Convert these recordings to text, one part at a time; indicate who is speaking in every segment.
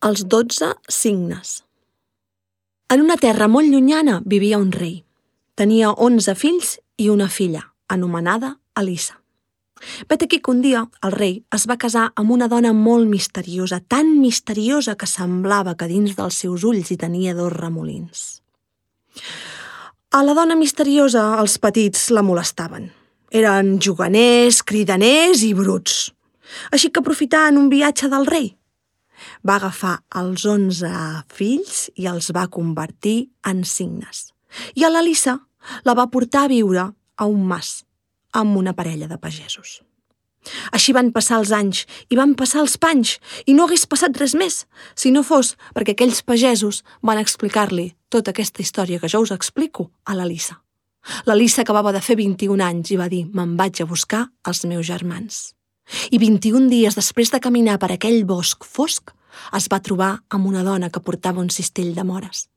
Speaker 1: Els 12 signes. En una terra molt llunyana vivia un rei. Tenia 11 fills i una filla, anomenada Elisa. Vet aquí que un dia el rei es va casar amb una dona molt misteriosa, tan misteriosa que semblava que dins dels seus ulls hi tenia 2 remolins. A la dona misteriosa els petits la molestaven. Eren juganers, cridaners i bruts. Així que aprofitant un viatge del rei, va agafar els 11 fills i els va convertir en signes. I a l'Elisa la va portar a viure a un mas amb una parella de pagesos. Així van passar els anys i van passar els panys i no hagués passat res més si no fos perquè aquells pagesos van explicar-li tota aquesta història que jo us explico a l'Elisa. L'Elisa acabava de fer 21 anys i va dir: me'n vaig a buscar els meus germans. I 21 dies després de caminar per aquell bosc fosc, es va trobar amb una dona que portava un cistell de mores.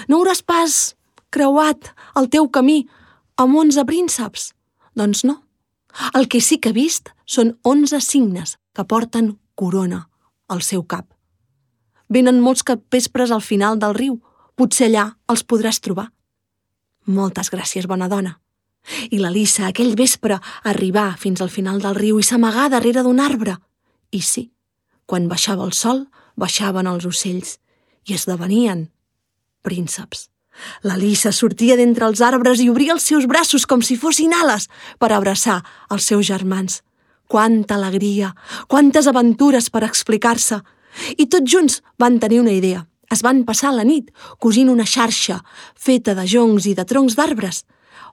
Speaker 1: No hauràs pas creuat el teu camí amb 11 prínceps? Doncs no. El que sí que he vist són 11 signes que porten corona al seu cap. Venen molts capvespres al final del riu. Potser allà els podràs trobar. Moltes gràcies, bona dona. I l'Elisa aquell vespre arribà fins al final del riu i s'amagà darrere d'un arbre. I sí, quan baixava el sol, baixaven els ocells i esdevenien prínceps. L'Elisa sortia d'entre els arbres i obria els seus braços com si fossin ales per abraçar els seus germans. Quanta alegria, quantes aventures per explicar-se. I tots junts van tenir una idea. Es van passar la nit cosint una xarxa feta de joncs i de troncs d'arbres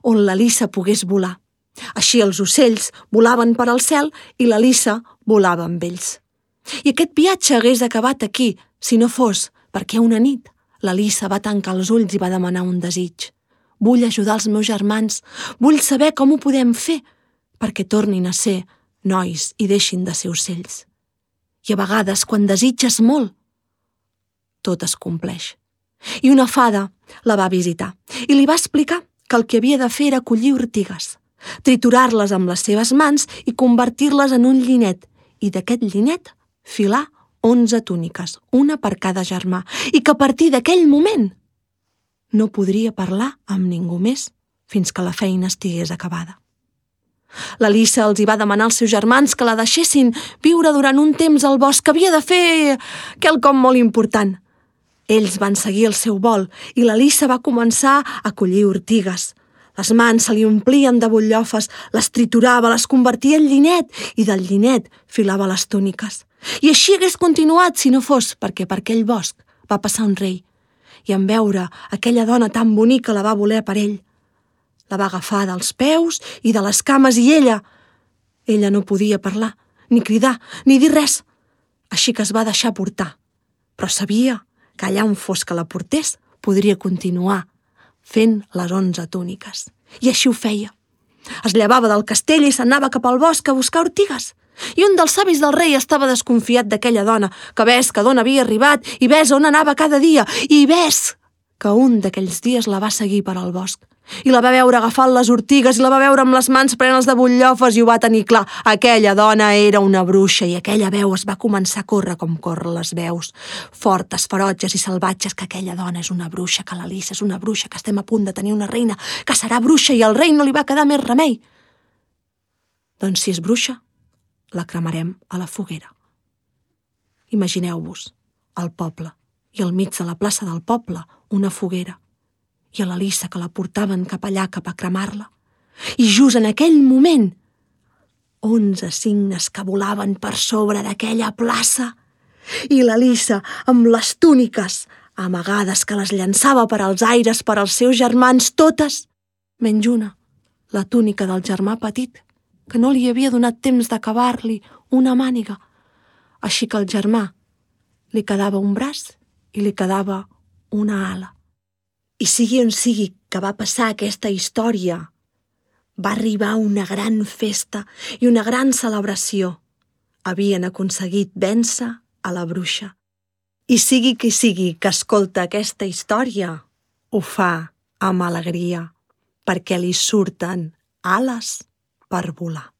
Speaker 1: on l'Elisa pogués volar. Així els ocells volaven per al cel i l'Elisa volava amb ells. I aquest viatge hagués acabat aquí si no fos perquè una nit l'Elisa va tancar els ulls i va demanar un desig. Vull ajudar els meus germans, vull saber com ho podem fer perquè tornin a ser nois i deixin de ser ocells. I a vegades, quan desitges molt, tot es compleix. I una fada la va visitar i li va explicar que el que havia de fer era collir ortigues, triturar-les amb les seves mans i convertir-les en un llinet, i d'aquest llinet filar 11 túniques, una per cada germà, i que a partir d'aquell moment no podria parlar amb ningú més fins que la feina estigués acabada. L'Elisa els hi va demanar als seus germans que la deixessin viure durant un temps al bosc, que havia de fer quelcom molt important. Ells van seguir el seu vol i l'Elisa va començar a collir ortigues. Les mans se li omplien de butllofes, les triturava, les convertia en llinet i del llinet filava les túniques. I així hagués continuat si no fos perquè per aquell bosc va passar un rei i en veure aquella dona tan bonica la va voler per ell. La va agafar dels peus i de les cames i ella no podia parlar, ni cridar, ni dir res. Així que es va deixar portar, però sabia que allà on fos que la portés podria continuar fent les 11 túniques. I així ho feia. Es llevava del castell i s'anava cap al bosc a buscar ortigues. I un dels savis del rei estava desconfiat d'aquella dona, que ves que d'on havia arribat i ves on anava cada dia i ves que un d'aquells dies la va seguir per al bosc. I la va veure agafant les ortigues i la va veure amb les mans plenes de butllofes i ho va tenir clar. Aquella dona era una bruixa i aquella veu es va començar a córrer com corren les veus, fortes, ferotges i salvatges, que aquella dona és una bruixa, que l'Elisa és una bruixa, que estem a punt de tenir una reina, que serà bruixa i al rei no li va quedar més remei. Doncs si és bruixa, la cremarem a la foguera. Imagineu-vos el poble i al mig de la plaça del poble una foguera i a l'Elisa que la portaven cap allà, cap a cremar-la. I just en aquell moment, 11 signes que volaven per sobre d'aquella plaça i l'Elisa amb les túniques amagades que les llançava per als aires per als seus germans, totes, menys una, la túnica del germà petit, que no li havia donat temps d'acabar-li una màniga. Així que al germà li quedava un braç i li quedava una ala. I sigui on sigui que va passar aquesta història, va arribar una gran festa i una gran celebració. Havien aconseguit vèncer a la bruixa. I sigui qui sigui que escolta aquesta història, ho fa amb alegria, perquè li surten ales per volar.